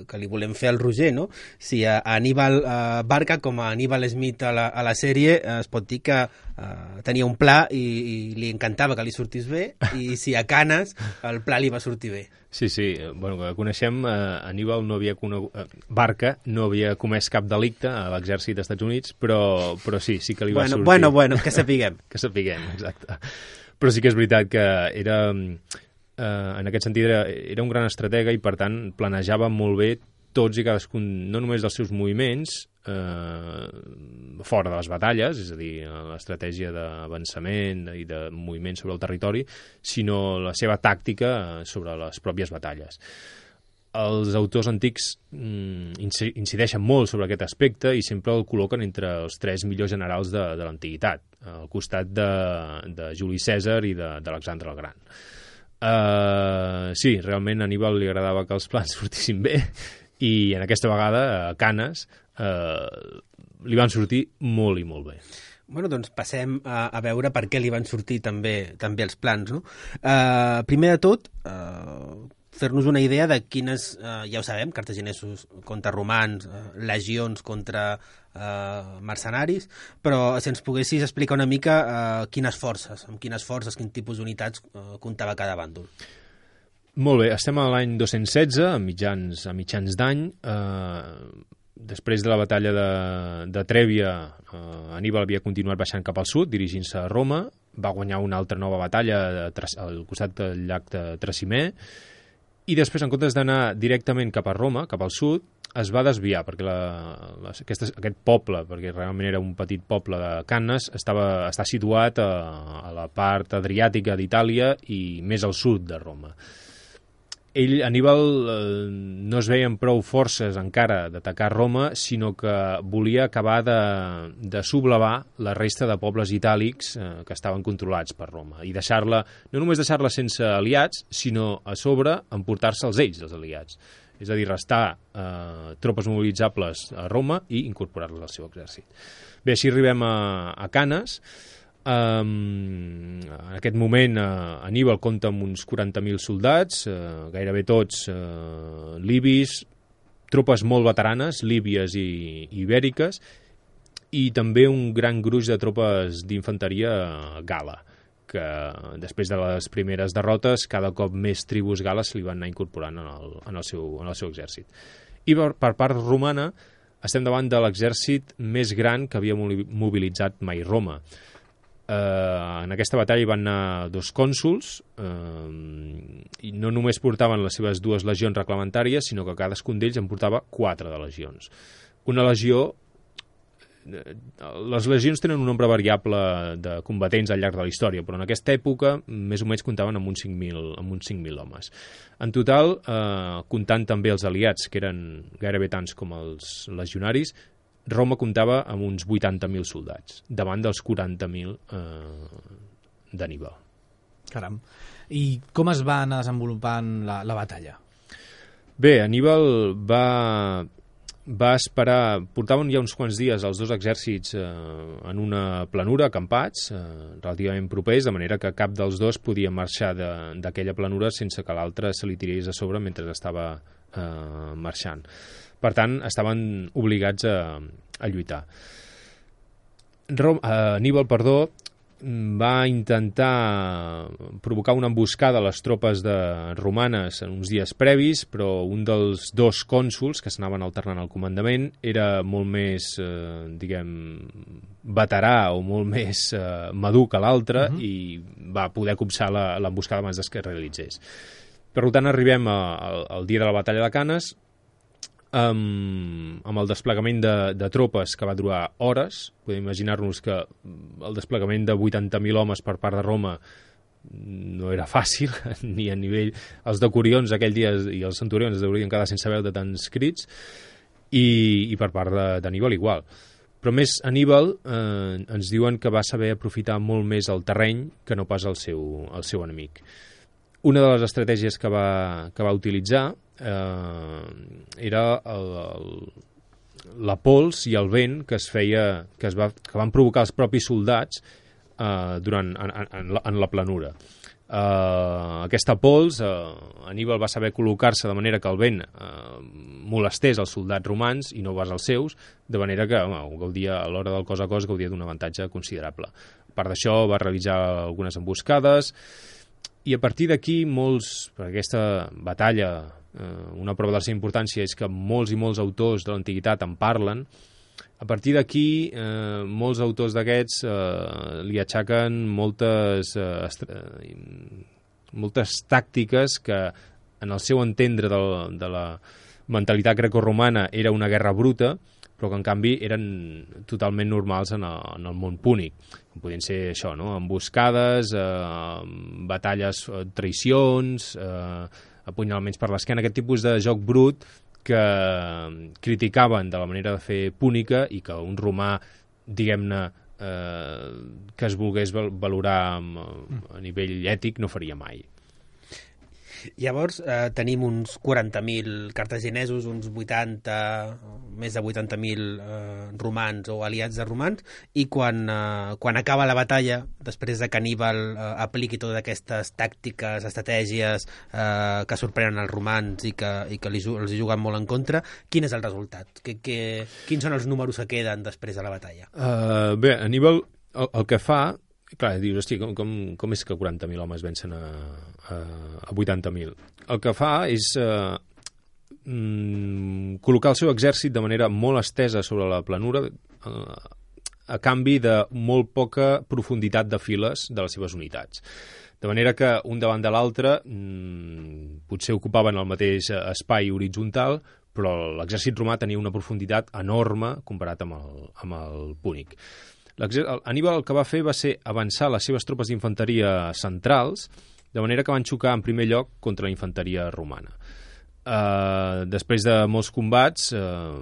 que li volem fer al Roger, no? Si a Aníbal eh, Barca, com a Aníbal Smith a la, a la sèrie, eh, es pot dir que eh, tenia un pla i, i li encantava que li sortís bé, i si a Canes el pla li va sortir bé. Sí, sí, bueno, que coneixem, eh, Aníbal no havia conegut, eh, Barca no havia comès cap delicte a l'exèrcit dels Estats Units, però, però sí, sí que li va bueno, sortir. Bueno, bueno, que sapiguem. que sapiguem, exacte. Però sí que és veritat que era... Uh, en aquest sentit era, era un gran estratega i per tant planejava molt bé tots i cadascun, no només dels seus moviments uh, fora de les batalles, és a dir, l'estratègia d'avançament i de moviment sobre el territori, sinó la seva tàctica sobre les pròpies batalles. Els autors antics mm, incideixen molt sobre aquest aspecte i sempre el col·loquen entre els tres millors generals de, de l'antiguitat, al costat de, de Juli Cèsar i d'Alexandre el Gran. Uh, sí, realment a Aníbal li agradava que els plans sortissin bé i en aquesta vegada a Canes uh, li van sortir molt i molt bé. Bueno, doncs passem a, a veure per què li van sortir també, també els plans, no? Uh, primer de tot, uh, fer-nos una idea de quines, uh, ja ho sabem, cartaginesos contra romans, uh, legions contra uh, mercenaris, però si ens poguessis explicar una mica uh, quines forces, amb quines forces, quin tipus d'unitats uh, comptava cada bàndol. Molt bé, estem a l'any dos-cents setze, a mitjans, a mitjans d'any. Eh, després de la batalla de, de Trèvia, eh, Aníbal havia continuat baixant cap al sud, dirigint-se a Roma, va guanyar una altra nova batalla de, al costat del llac de Trasimè, i després, en comptes d'anar directament cap a Roma, cap al sud, es va desviar, perquè la, la, aquest, aquest poble, perquè realment era un petit poble de Canes, estava, està situat a, a la part adriàtica d'Itàlia i més al sud de Roma. Ell, Aníbal, eh, no es veien prou forces encara d'atacar Roma, sinó que volia acabar de, de sublevar la resta de pobles itàlics eh, que estaven controlats per Roma i deixar-la, no només deixar-la sense aliats, sinó a sobre emportar-se'ls ells, els aliats. És a dir, restar eh, tropes mobilitzables a Roma i incorporar-les al seu exèrcit. Bé, així arribem a, a Canes. Um, en aquest moment uh, Aníbal compta amb uns quaranta mil soldats, uh, gairebé tots uh, libis, tropes molt veteranes, líbies i, i ibèriques, i també un gran gruix de tropes d'infanteria gala, que després de les primeres derrotes cada cop més tribus gales li van anar incorporant en el, en el, seu, en el seu exèrcit. I per, per part romana estem davant de l'exèrcit més gran que havia mobilitzat mai Roma. Uh, en aquesta batalla hi van anar dos cònsols uh, i no només portaven les seves dues legions reglamentàries, sinó que cadascun d'ells en portava quatre de legions. Una legió, les legions tenen un nombre variable de combatents al llarg de la història, però en aquesta època més o menys comptaven amb uns cinc mil homes. En total, uh, comptant també els aliats, que eren gairebé tants com els legionaris, Roma comptava amb uns vuitanta mil soldats, davant dels quaranta mil eh, d'Aníbal. Caram. I com es va anar desenvolupant la, la batalla? Bé, Aníbal va, va esperar... Portaven ja uns quants dies els dos exèrcits eh, en una planura, acampats, eh, relativament propers, de manera que cap dels dos podia marxar d'aquella planura sense que l'altre se li tirés a sobre mentre estava eh, marxant. Per tant, estaven obligats a, a lluitar. Rom, eh, Aníbal, perdó, va intentar provocar una emboscada a les tropes de romanes en uns dies previs, però un dels dos cònsols que s'anaven alternant al comandament era molt més, eh, diguem, veterà o molt més eh, madur que l'altre uh-huh. i va poder copsar l'emboscada abans que es realitzés. Per tant, arribem a, a, al dia de la batalla de Canes, amb, amb el desplegament de, de tropes que va durar hores. Podem imaginar-nos que el desplegament de vuitanta mil homes per part de Roma no era fàcil, ni a nivell... Els decurions aquell dia i els centurions es haurien quedat sense veu de tants crits, i, i per part d'Aníbal igual. Però més Aníbal eh, ens diuen que va saber aprofitar molt més el terreny que no pas el seu, el seu enemic. Una de les estratègies que va, que va utilitzar eh, era el, el, la pols i el vent que es feia, que, es va, que van provocar els propis soldats eh, durant, en, en, la, en la planura. Uh, aquesta pols, uh, Aníbal va saber col·locar-se de manera que el vent uh, molestés els soldats romans i no pas els seus, de manera que home, gaudia, a l'hora del cos a cos gaudia d'un avantatge considerable. A part d'això va realitzar algunes emboscades i a partir d'aquí molts, per aquesta batalla, uh, una prova de la seva importància és que molts i molts autors de l'antiguitat en parlen. A partir d'aquí, eh, molts autors d'aquests eh, li aixequen moltes, eh, moltes tàctiques que, en el seu entendre de, de la mentalitat grecorromana, era una guerra bruta, però que en canvi eren totalment normals en el, en el món púnic. Podien ser això, no? Emboscades, eh, batalles, traïcions, eh, apunyalaments per l'esquena, aquest tipus de joc brut que criticaven de la manera de fer púnica i que un romà, diguem-ne, eh, que es volgués valorar a nivell ètic no faria mai. Llavors eh, tenim uns quaranta mil cartaginesos, uns vuitanta, més de vuitanta mil eh, romans o aliats de romans, i quan, eh, quan acaba la batalla, després de que Aníbal eh, apliqui totes aquestes tàctiques, estratègies eh, que sorprenen els romans i que, i que li, els hi juguen molt en contra, quin és el resultat? Que, que, quins són els números que queden després de la batalla? Uh, bé, Aníbal el, el que fa... Clar, dius, hosti, com, com, com és que quaranta mil homes vencen a, a, a vuitanta mil? El que fa és eh, mm, col·locar el seu exèrcit de manera molt estesa sobre la planura eh, a canvi de molt poca profunditat de files de les seves unitats. De manera que un davant de l'altre mm, potser ocupaven el mateix espai horitzontal, però l'exèrcit romà tenia una profunditat enorme comparat amb el, amb el púnic. Aníbal el que va fer va ser avançar les seves tropes d'infanteria centrals, de manera que van xocar en primer lloc contra la infanteria romana. Uh, després de molts combats, uh,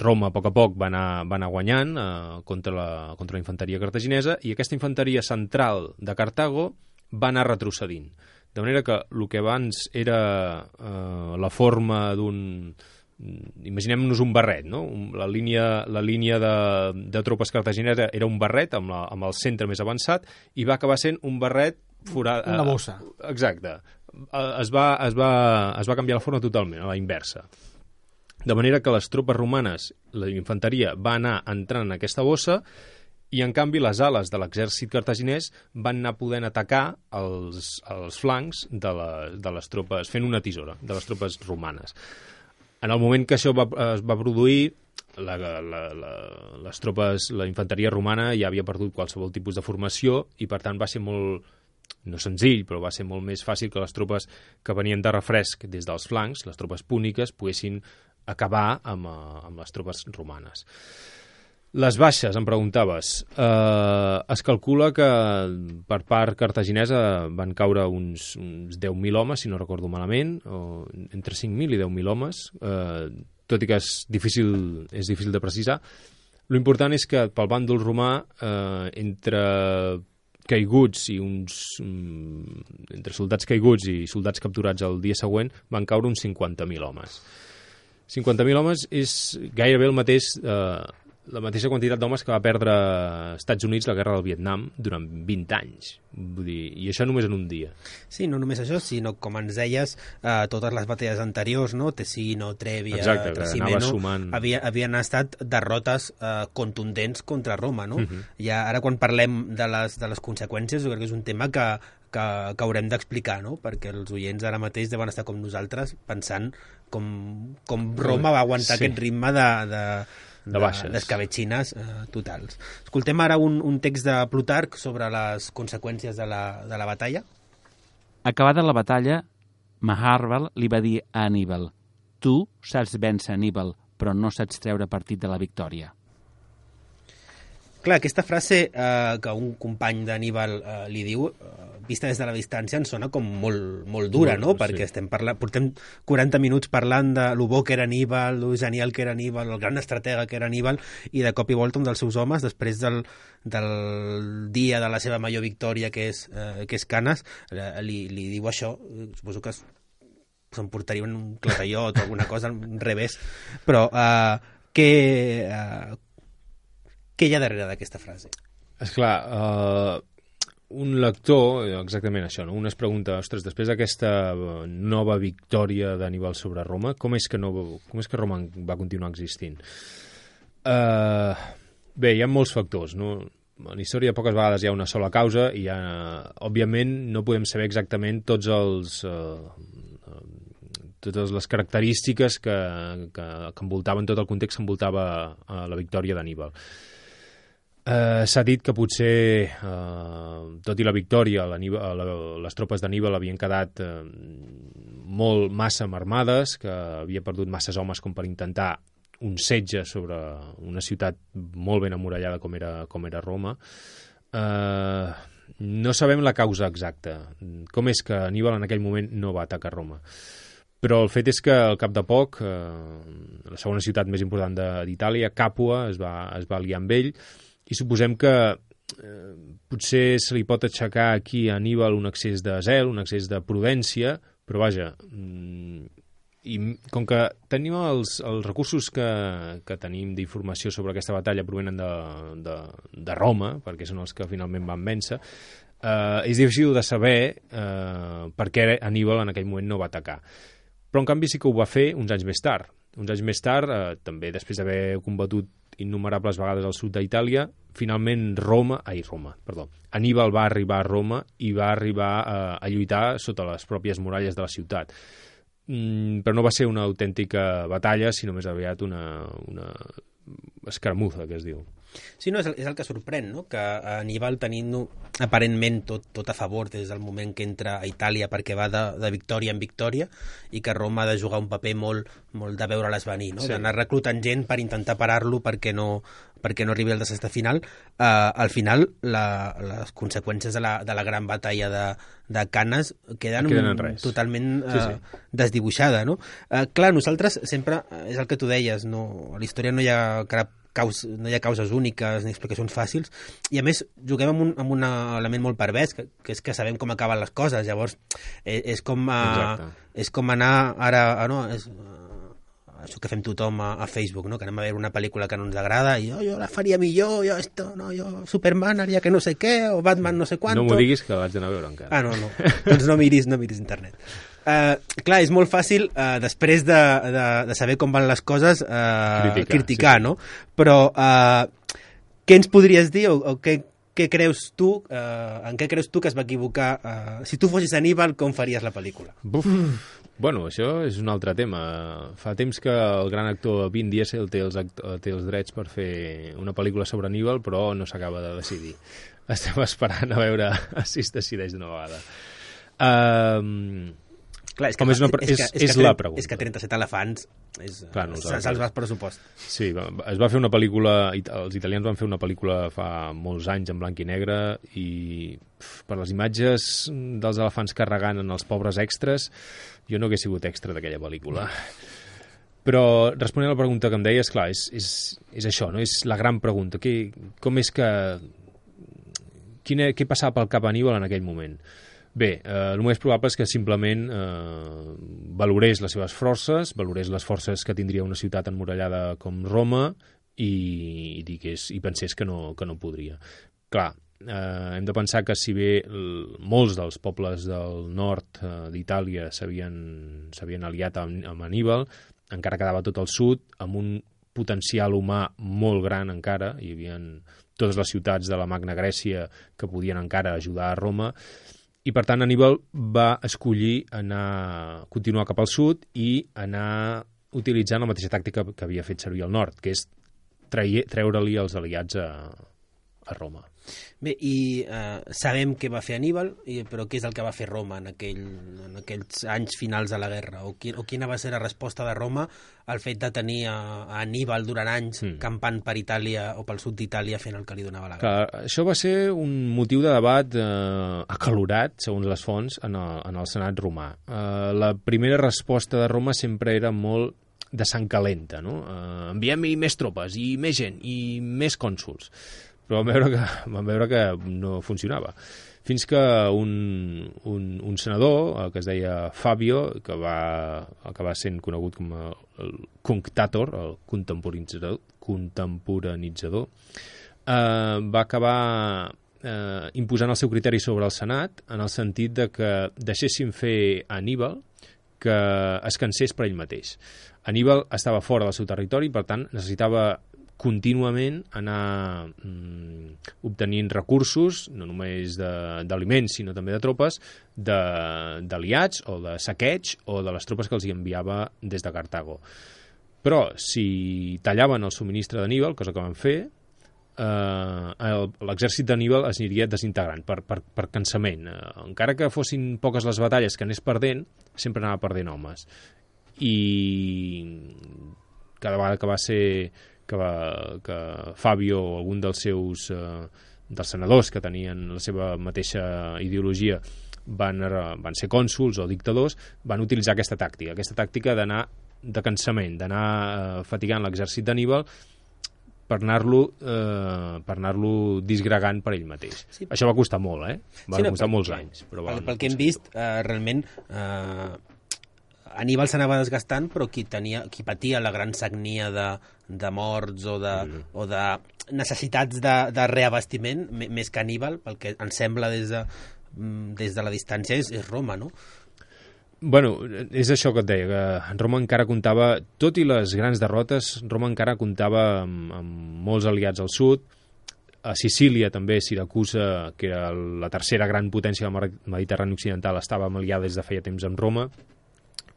Roma a poc a poc va anar, va anar guanyant uh, contra, la, contra la infanteria cartaginesa, i aquesta infanteria central de Cartago va anar retrocedint. De manera que el que abans era uh, la forma d'un... Imaginem-nos un barret, no? La línia, la línia de, de tropes cartaginesa era un barret amb, la, amb el centre més avançat, i va acabar sent un barret forat... Una bossa. Exacte. Es va, es, va, es va canviar la forma totalment, a la inversa. De manera que les tropes romanes, la infanteria, va anar entrant en aquesta bossa, i en canvi les ales de l'exèrcit cartaginès van anar podent atacar els, els flancs de, la, de les tropes, fent una tisora de les tropes romanes. En el moment que això va, es va produir, la, la, la, les tropes, la infanteria romana ja havia perdut qualsevol tipus de formació, i per tant va ser molt, no senzill, però va ser molt més fàcil que les tropes que venien de refresc des dels flancs, les tropes púniques, poguessin acabar amb, amb les tropes romanes. Les baixes, em preguntaves. Eh, es calcula que per part cartaginesa van caure uns, uns deu mil homes, si no recordo malament, o entre cinc mil i deu mil homes, eh, tot i que és difícil, és difícil de precisar. L'important és que pel bàndol romà, eh, entre caiguts i uns... Mm, entre soldats caiguts i soldats capturats el dia següent, van caure uns cinquanta mil homes. cinquanta mil homes és gairebé el mateix... Eh, la mateixa quantitat d'homes que va perdre Estats Units la guerra del Vietnam durant vint anys. Vull dir, i això només en un dia. Sí, no només això, sinó, com ens deies, eh, totes les batalles anteriors, no? Tessino, Trèvia, Exacte, Trasimeno, sumant... havia, havien estat derrotes eh, contundents contra Roma, no? Uh-huh. I ara, quan parlem de les, de les conseqüències, jo crec que és un tema que, que, que haurem d'explicar, no? Perquè els oients ara mateix deuen estar com nosaltres pensant com, com Roma va aguantar sí. aquest ritme de... de de baixes, d'escabetxines eh, totals. Escoltem ara un, un text de Plutarc sobre les conseqüències de la, de la batalla. Acabada la batalla, Maharbal li va dir a Aníbal: tu saps vèncer Aníbal, però no saps treure partit de la victòria. Clar, aquesta frase eh, que un company d'Aníbal eh, li diu, eh, vista des de la distància ens sona com molt, molt dura, no? Sí. Perquè estem parlant, portem quaranta minuts parlant de lo bo que era Aníbal, lo genial que era Aníbal, el gran estratega que era Aníbal, i de cop i volta un dels seus homes, després del, del dia de la seva major victòria, que és, eh, que és Canes, li, li diu això. Suposo que s'emportarien un clatallot o alguna cosa, un revés, però eh, què, eh, què hi ha darrere d'aquesta frase? Esclar, uh, un lector, exactament això, no? Un es pregunta, ostres, després d'aquesta nova victòria d'Aníbal sobre Roma, com és que, no, com és que Roma va continuar existint? Uh, bé, hi ha molts factors, no? En història poques vegades hi ha una sola causa i, ha, òbviament, no podem saber exactament tots els... Uh, totes les característiques que, que, que envoltaven, tot el context que envoltava uh, la victòria d'Aníbal. Uh, S'ha dit que potser, uh, tot i la victòria, la, la, les tropes d'Aníbal havien quedat uh, molt massa marmades, que havia perdut masses homes com per intentar un setge sobre una ciutat molt ben amurallada com era, com era Roma. Uh, no sabem la causa exacta. Com és que Aníbal en aquell moment no va atacar Roma? Però el fet és que al cap de poc, eh, la segona ciutat més important d'Itàlia, Càpua, es va, es va aliar amb ell, i suposem que eh, potser se li pot aixecar aquí a Aníbal un excés de zel, un excés de prudència, però vaja, mm, i com que tenim els, els recursos que, que tenim d'informació sobre aquesta batalla provenen de, de, de Roma, perquè són els que finalment van vèncer, eh, és difícil de saber eh, per què Aníbal en aquell moment no va atacar. Però en canvi sí que ho va fer uns anys més tard. Uns anys més tard, eh, també després d'haver combatut innumerables vegades al sud d'Itàlia, finalment Roma, ai, Roma, perdó, Aníbal va arribar a Roma i va arribar eh, a lluitar sota les pròpies muralles de la ciutat. Mm, però no va ser una autèntica batalla, sinó més aviat una, una escaramuza, que es diu. Sí, no, és el, és el que sorprèn, no? Que Aníbal tenint aparentment tot, tot a favor des del moment que entra a Itàlia perquè va de, de victòria en victòria i que Roma ha de jugar un paper molt, molt de veure-les venir, no? Sí. D'anar reclutant gent per intentar parar-lo perquè no, perquè no arribi al desastre final. Uh, al final, la, les conseqüències de la, de la gran batalla de, de Canes queden, queden totalment uh, sí, sí. desdibuixada, no? Uh, clar, nosaltres sempre, és el que tu deies, no? A la història no hi ha cap Caus, no hi ha causes úniques ni explicacions fàcils, i a més juguem amb un, amb un element molt pervers, que, que és que sabem com acaben les coses. Llavors és, és, com, a, és com anar ara a, no, és, a, això que fem tothom a, a Facebook, no? Que anem a veure una pel·lícula que no ens agrada i oh, jo la faria millor, jo esto, no, jo Superman haria que no sé què, o Batman no sé quanto. No m'ho diguis, que l'haig d'anar a veure encara. Ah, no, no, doncs no miris, no miris internet. Uh, clar, és molt fàcil uh, després de, de, de saber com van les coses uh, criticar, criticar sí, no? Però uh, què ens podries dir o, o què, què creus tu uh, en què creus tu que es va equivocar? Uh, si tu fossis Aníbal, com faries la pel·lícula? Buf. Bueno, això és un altre tema. Fa temps que el gran actor Vin Diesel té els, té els drets per fer una pel·lícula sobre Aníbal, però no s'acaba de decidir. Estem esperant a veure si es decideix d'una vegada. Uh, Clar, és que, Com és, una, és, és, és, és la pregunta. És que trenta-set elefants és, Clar, no se'ls va el pressupost. Sí, es va fer una pel·lícula, els italians van fer una pel·lícula fa molts anys en blanc i negre i pf, per les imatges dels elefants carregant en els pobres extras, jo no hagués sigut extra d'aquella pel·lícula. Però responent a la pregunta que em deies, clar, és, és, és això, no? És la gran pregunta. Que, com és que... Quina, què passava pel cap a Aníbal en aquell moment? Bé, eh, el més probable és que simplement eh, valorés les seves forces, valorés les forces que tindria una ciutat emmurallada com Roma i, i, digués, i pensés que no, que no podria. Clar, eh, hem de pensar que si bé el, molts dels pobles del nord eh, d'Itàlia s'havien aliat amb, amb Aníbal, encara quedava tot el sud amb un potencial humà molt gran encara, hi havia totes les ciutats de la Magna Grècia que podien encara ajudar a Roma, i per tant Aníbal va escollir anar, continuar cap al sud i anar utilitzant la mateixa tàctica que havia fet servir al nord, que és treure-li els aliats a, a Roma. Bé, i eh, sabem què va fer Aníbal, i, però què és el que va fer Roma en, aquell, en aquells anys finals de la guerra? O, qui, o quina va ser la resposta de Roma al fet de tenir a, a Aníbal durant anys mm. campant per Itàlia o pel sud d'Itàlia fent el que li donava la gana? Clar, això va ser un motiu de debat eh, acalorat, segons les fonts, en el, en el Senat romà. Eh, la primera resposta de Roma sempre era molt de sang calenta, no? Eh, enviem-hi més tropes, i més gent, i més cònsols. Però vam veure que, vam veure que no funcionava. Fins que un, un, un senador, que es deia Fabio, que va acabar sent conegut com el, el Cunctator, el contemporitzador, contemporanitzador, eh, va acabar eh, imposant el seu criteri sobre el Senat, en el sentit de que deixessin fer a Aníbal que es cansés per ell mateix. Aníbal estava fora del seu territori, per tant, necessitava contínuament anar mm, obtenint recursos, no només d'aliments, sinó també de tropes, d'aliats o de saqueig o de les tropes que els hi enviava des de Cartago. Però si tallaven el subministre d'Aníbal, cosa que van fer, eh, l'exèrcit d'Aníbal es aniria desintegrant per, per, per cansament. Eh, encara que fossin poques les batalles que anés perdent, sempre anava perdent homes. I cada vegada que va ser que, va, que Fabio o algun dels seus eh, dels senadors que tenien la seva mateixa ideologia van, van ser cònsols o dictadors, van utilitzar aquesta tàctica, aquesta tàctica d'anar de cansament, d'anar eh, fatigant l'exèrcit d'Aníbal per anar-lo eh, per anar-lo disgregant per ell mateix. Sí. Això va costar molt, eh? Va sí, no, costar per, molts anys. Però pel, pel que hem vist, eh, realment eh, Aníbal s'anava desgastant, però qui, tenia, qui patia la gran sagnia de, de morts o de, mm. o de necessitats de, de reabastiment, més que Aníbal, pel que ens sembla des de, des de la distància, és, és Roma, no? Bueno, és això que et deia, que Roma encara comptava, tot i les grans derrotes, Roma encara comptava amb, amb molts aliats al sud. A Sicília també, Siracusa, que era la tercera gran potència del Mediterrani occidental, estava aliada des de feia temps amb Roma,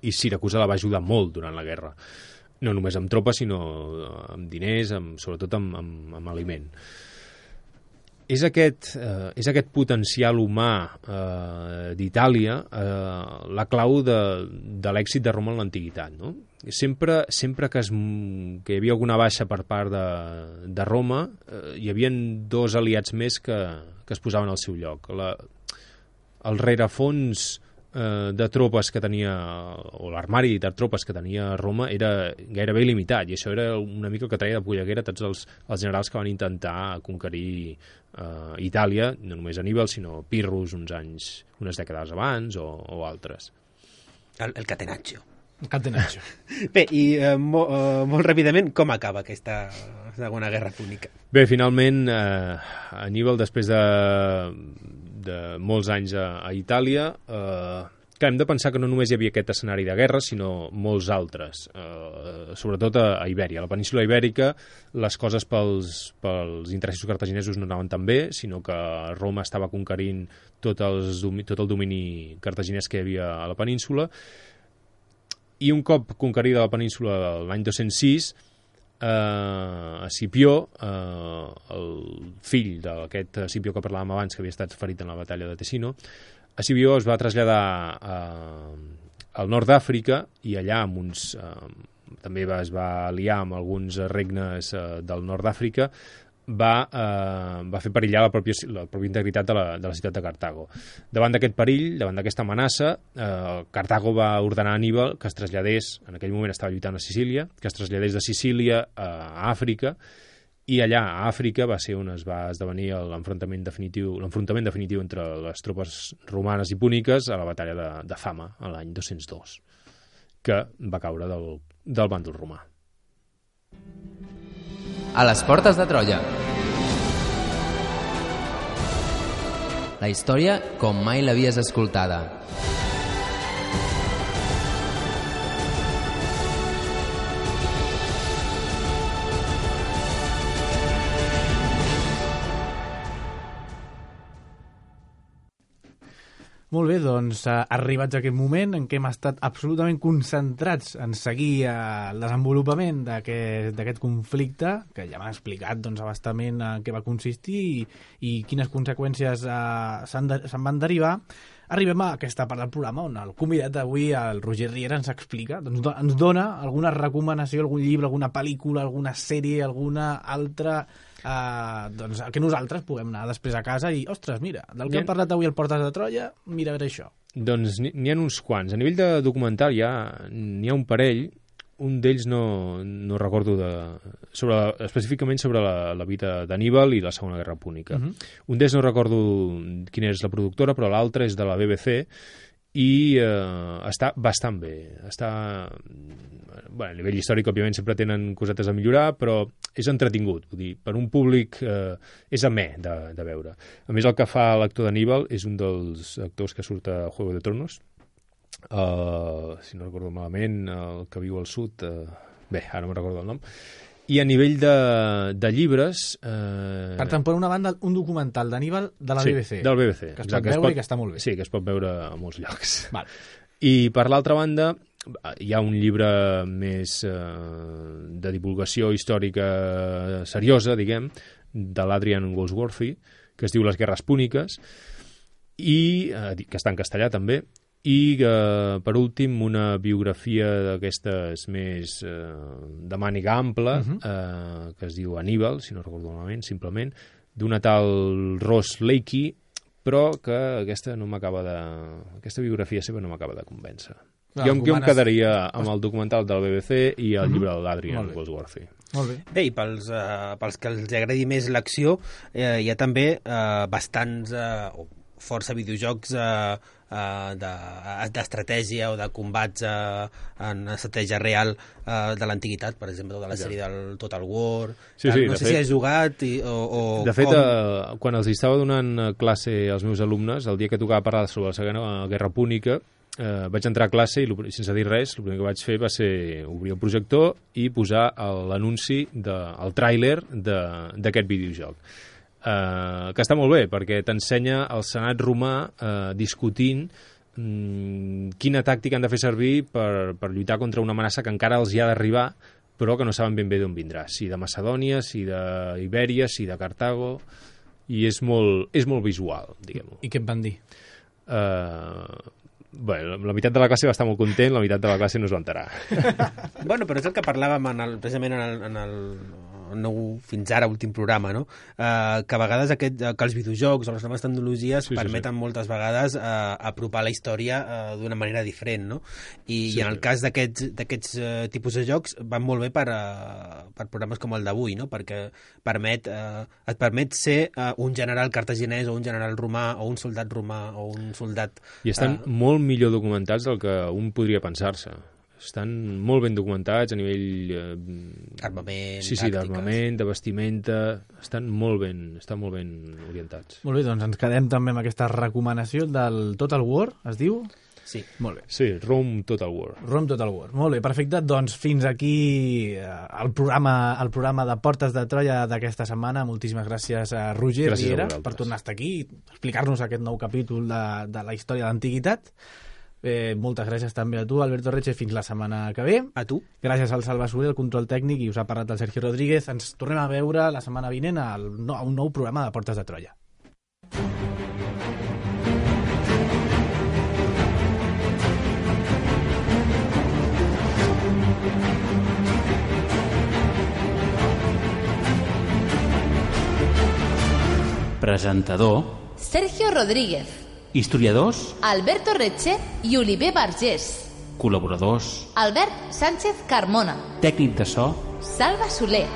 i Siracusa la va ajudar molt durant la guerra. No només amb tropes, sinó amb diners, amb, sobretot amb, amb, amb aliment. És aquest, eh, és aquest potencial humà eh, d'Itàlia eh, la clau de, de l'èxit de Roma en l'antiguitat, no? Sempre, sempre que, es, que hi havia alguna baixa per part de, de Roma, eh, hi havia dos aliats més que, que es posaven al seu lloc. La, el rerefons de tropes que tenia, o l'armari de tropes que tenia Roma era gairebé il·limitat, i això era una mica el que traia de polleguera tots els, els generals que van intentar conquerir eh, Itàlia, no només Aníbal, sinó Pirrus uns anys, unes dècades abans, o, o altres. El, el Catenaccio. El Catenaccio. Bé, i eh, mo, eh, molt ràpidament, com acaba aquesta Segona Guerra Púnica? Bé, finalment, eh, Aníbal, després de de molts anys a, a Itàlia, eh, que hem de pensar que no només hi havia aquest escenari de guerra, sinó molts altres, eh, sobretot a, a Ibèria. A la península Ibèrica les coses pels, pels interessos cartaginesos no anaven tan bé, sinó que Roma estava conquerint tot, els, tot el domini cartaginès que hi havia a la península, i un cop conquerida la península l'any dos-cents sis, Uh, Escipió, uh, el fill d'aquest Escipió que parlàvem abans, que havia estat ferit en la batalla de Tessino, Escipió es va traslladar uh, al nord d'Àfrica, i allà amb uns, uh, també va, es va aliar amb alguns regnes uh, del nord d'Àfrica, va, uh, va fer perillar la pròpia, la pròpia integritat de la, de la ciutat de Cartago. Davant d'aquest perill, davant d'aquesta amenaça, uh, Cartago va ordenar a Aníbal que es traslladés, en aquell moment estava lluitant a Sicília, que es traslladés de Sicília a Àfrica, i allà a Àfrica va ser on es va esdevenir l'enfrontament definitiu, l'enfrontament definitiu entre les tropes romanes i púniques a la batalla de, de Fama, a l'any dos-cents dos, que va caure del, del bàndol romà. A les portes de Troia. La història com mai l'havies escoltada. Molt bé, doncs eh, arribats a aquest moment en què hem estat absolutament concentrats en seguir eh, el desenvolupament d'aquest conflicte, que ja m'ha explicat doncs, abastament en què va consistir i, i quines conseqüències eh, se'n de, se van derivar, arribem a aquesta part del programa on el convidat d'avui, el Roger Riera, ens explica, doncs, do, ens dona alguna recomanació, algun llibre, alguna pel·lícula, alguna sèrie, alguna altra... Uh, doncs que nosaltres puguem anar després a casa i, ostres, mira, del que hem parlat avui al Portes de Troia, mira a veure això. Doncs n'hi ha uns quants. A nivell de documental ja n'hi ha un parell, un d'ells no, no recordo de, sobre, específicament sobre la, la vida d'Aníbal i la Segona Guerra Púnica. Uh -huh. Un d'ells no recordo quina és la productora, però l'altre és de la B B C i eh, està bastant bé. Està... Bueno, a nivell històric, òbviament, sempre tenen cosetes a millorar, però és entretingut. Vull dir, per un públic eh, és amè de, de veure. A més, el que fa l'actor d'Aníbal és un dels actors que surt a Juego de Tronos. Uh, si no recordo malament, el que viu al sud... Uh, bé, ara no me'n recordo el nom. I a nivell de, de llibres... Eh... Per tant, per una banda, un documental d'Aníbal de la sí, B B C. del B B C. Que es pot veure i que està molt bé. Sí, que es pot veure a molts llocs. Val. I per l'altra banda, hi ha un llibre més eh, de divulgació històrica seriosa, diguem, de l'Adrian Goldsworthy, que es diu Les guerres púniques, i eh, que està en castellà també, i eh, per últim una biografia d'aquestes més eh, de màniga ampla, uh-huh. eh, que es diu Aníbal, si no recordo malament, simplement, d'una tal Ross Lakey, però que aquesta no m'acaba de... aquesta biografia seva no m'acaba de convèncer. Jo, jo em quedaria amb el documental del B B C i el uh-huh. llibre de l'Adrian Goldsworthy. Molt bé. Bé, i pels, uh, pels que els agradi més l'acció, eh, hi ha també uh, bastants, uh, o força videojocs uh, uh, d'estratègia o de combats uh, en estratègia real uh, de l'antiguitat, per exemple, de la sèrie del Total War. Sí, sí, no sé fet, si has jugat i, o, o de fet, com... uh, quan els estava donant classe als meus alumnes, el dia que tocava parlar sobre la Segona Guerra Púnica, Uh, vaig entrar a classe i sense dir res, el primer que vaig fer va ser obrir el projector i posar l'anunci, el tràiler d'aquest videojoc. Uh, que està molt bé, perquè t'ensenya el senat romà uh, discutint um, quina tàctica han de fer servir per, per lluitar contra una amenaça que encara els hi ha d'arribar, però que no saben ben bé d'on vindrà. Si de Macedònia, si d'Ibèria, si de Cartago... I és molt, és molt visual, diguem-ho. I què et van dir? Uh, Bé, la meitat de la classe va estar molt content, la meitat de la classe no es va enterar. Bueno, però és el que parlàvem en el, precisament en el, en el, el nou, fins ara, últim programa, no? Uh, que a vegades aquest, que els videojocs o les noves tecnologies sí, permeten sí, sí. moltes vegades uh, apropar la història uh, d'una manera diferent, no? I, sí, i en el cas d'aquests uh, tipus de jocs van molt bé per, uh, per programes com el d'avui, no? Perquè permet, uh, et permet ser uh, un general cartaginès o un general romà o un soldat romà o un soldat... I estan uh, molt millor documentats del que un podria pensar-se. Estan molt ben documentats a nivell... Eh, armament, sí, sí, d'armament, de vestimenta... Estan molt ben, estan molt ben orientats. Molt bé, doncs ens quedem també amb aquesta recomanació del Total War, es diu? Sí. Molt bé. Sí, Rome Total War. Rome Total War. Molt bé, perfecte. Doncs fins aquí eh, el, programa, el programa de Portes de Troia d'aquesta setmana. Moltíssimes gràcies a Roger gràcies Riera a per tornar a estar aquí i explicar-nos aquest nou capítol de, de la història de l'antiguitat. Eh, moltes gràcies també a tu, Alberto Reche, fins la setmana que ve. A tu. Gràcies al Salva Soler, el control tècnic, i us ha parlat el Sergi Rodríguez. Ens tornem a veure la setmana vinent a un nou programa de Portes de Troia. Presentador Sergio Rodríguez. Historiadors Alberto Reche i Oliver Vergés. Col·laboradors Albert Sánchez Carmona. Tècnic de so Salva Soler.